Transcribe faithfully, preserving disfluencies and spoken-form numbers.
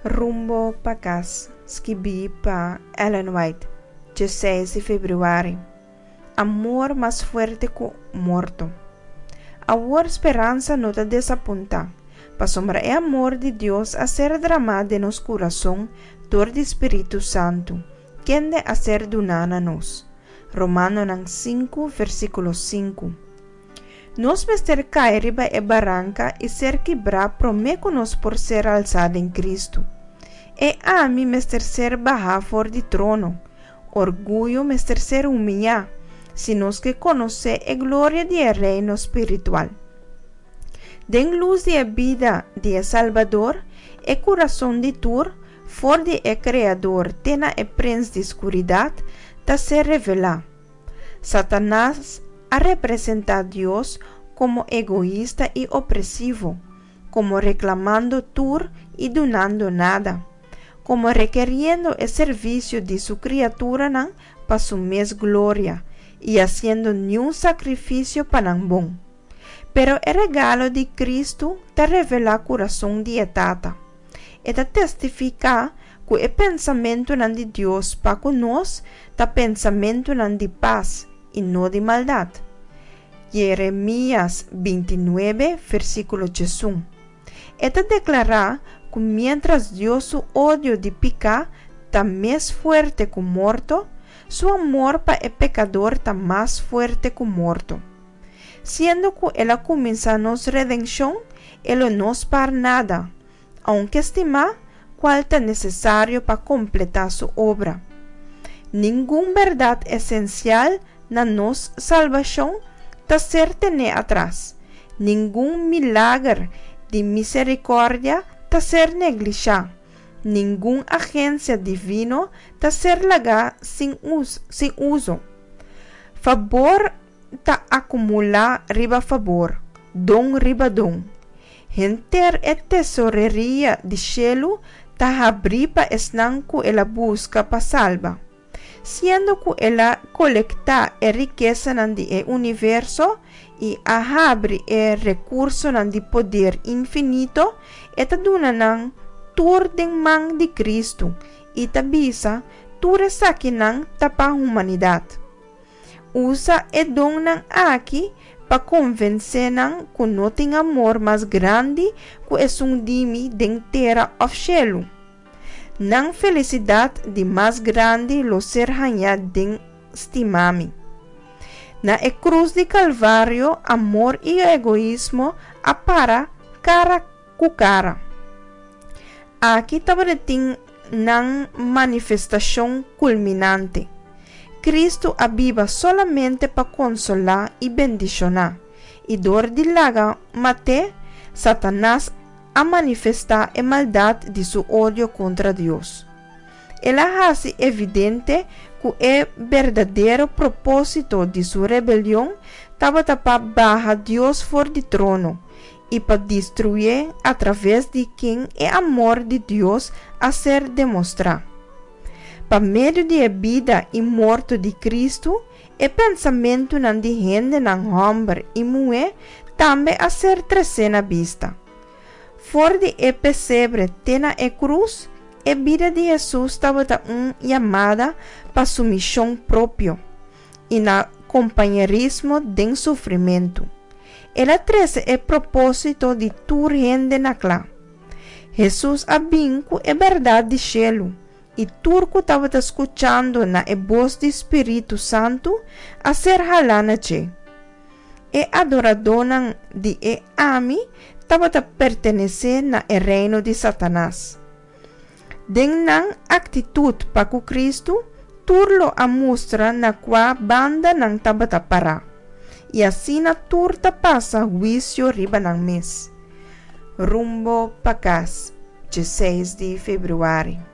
Rumbo pa Kas, skibí pa Ellen White, diesseis di febrüari. Amor mas fuerte ku morto. Awor speransa no ta desapuntá, pasobra e amor di Dios a ser dramá den nos kurason dor di Spiritu Santu, kende a ser duná na nos. Romanonan sinku, versíkulo sinku. Nos mester kai riba e baranka i ser kibrá promé ku nos por ser alsá den Kristu. E ami mester ser bahá for di trono, orguyo mester ser humiyá, si nos ke konosé e gloria di e reino spiritual. Den lus di e bida di e Salbador, e kurason di tur, for di e Kreador te na e prens di skuridat, ta ser revelá. Satanas a representá Dios komo egoista i opresivo, komo reklamando tur i dunando nada, komo rekeriendo e servisio di su kriaturanan pa su mes gloria i hasiendo niun sakrifisio pa nan bon. Pero e regalo di Kristu ta revelá kurason di e Tata. E ta testifiká ku e pensamentunan di Dios pa ku nos ta pensamentunan di pas i no di maldat. Jeremias binti nuebe, versíkulo diesun. E ta deklará ku miéntras Dios su odio di piká ta mes fuerte ku morto, su amor pa e pekador ta mas fuerte ku morto. Siendo ku el a kuminsá nos redenshon, e lo no spar nada, ounke stimá, kual ta nesesario pa kompletá su obra. Ningun bèrdat esensial na nos salbashon ta ser tené atras, ningun milager di miserikòrdia ta ser neglishá, ningun agensia divino ta ser lagá sin sin uso. Fabor ta akumulá riba fabor, don riba don. Henter e tesoreria di shelu ta habrí pa esnan ku el a buska pa salba. Siendo ku el a kolektá e rikesanan di e universo i a habri e rekursonan di poder infinito, e ta duna nan tur den man di Kristu i ta bisa, Tur esakinan ta pa humanidat. Usa e donnan aki pa konvensé nan ku no tin amor mas grandi ku esun di mi den tera òf shelu. Nan felisidat di mas grandi lo ser hañá den stima mi. Na e krus di Kalvario amor i egoismo a para kara ku kara. Aki tabatin nan manifestashon kulminante. Kristu a biba solamente pa konsolá i bendishoná, i dor di laga mat'é, Satanas a manifestá e maldat di su odio kontra Dios. El a hasi evidente ku e berdadero propósito di su rebelion tabata pa baha Dios for di trono i pa destruyé atraves di ken e amor di Dios a ser demostrá. Pa medio di e bida i morto di Kristu, e pensamentunan di hendenan hòmber i muhé tambe a ser tresé na bista. For di e pesebre te na e krus, e bida di Hesus tabata un yamada pa sumishon propio i na kompañerismo den sufrimentu. El a trese e propósito di tur hende na kla. Hesus a bin ku e bèrdat di shelu, i tur ku tabata skuchando na e bos di Spiritu Santu a ser halá na dje. E adoradónan di e Ami tabata pertenesé na e reino di Satanas. Den nan aktitut pa ku Kristu, tur lo a mustra na kua banda nan tabata pará, i asina tur ta pasa huisio riba nan mes. Rumbo pa kas, diesseis di febrüari.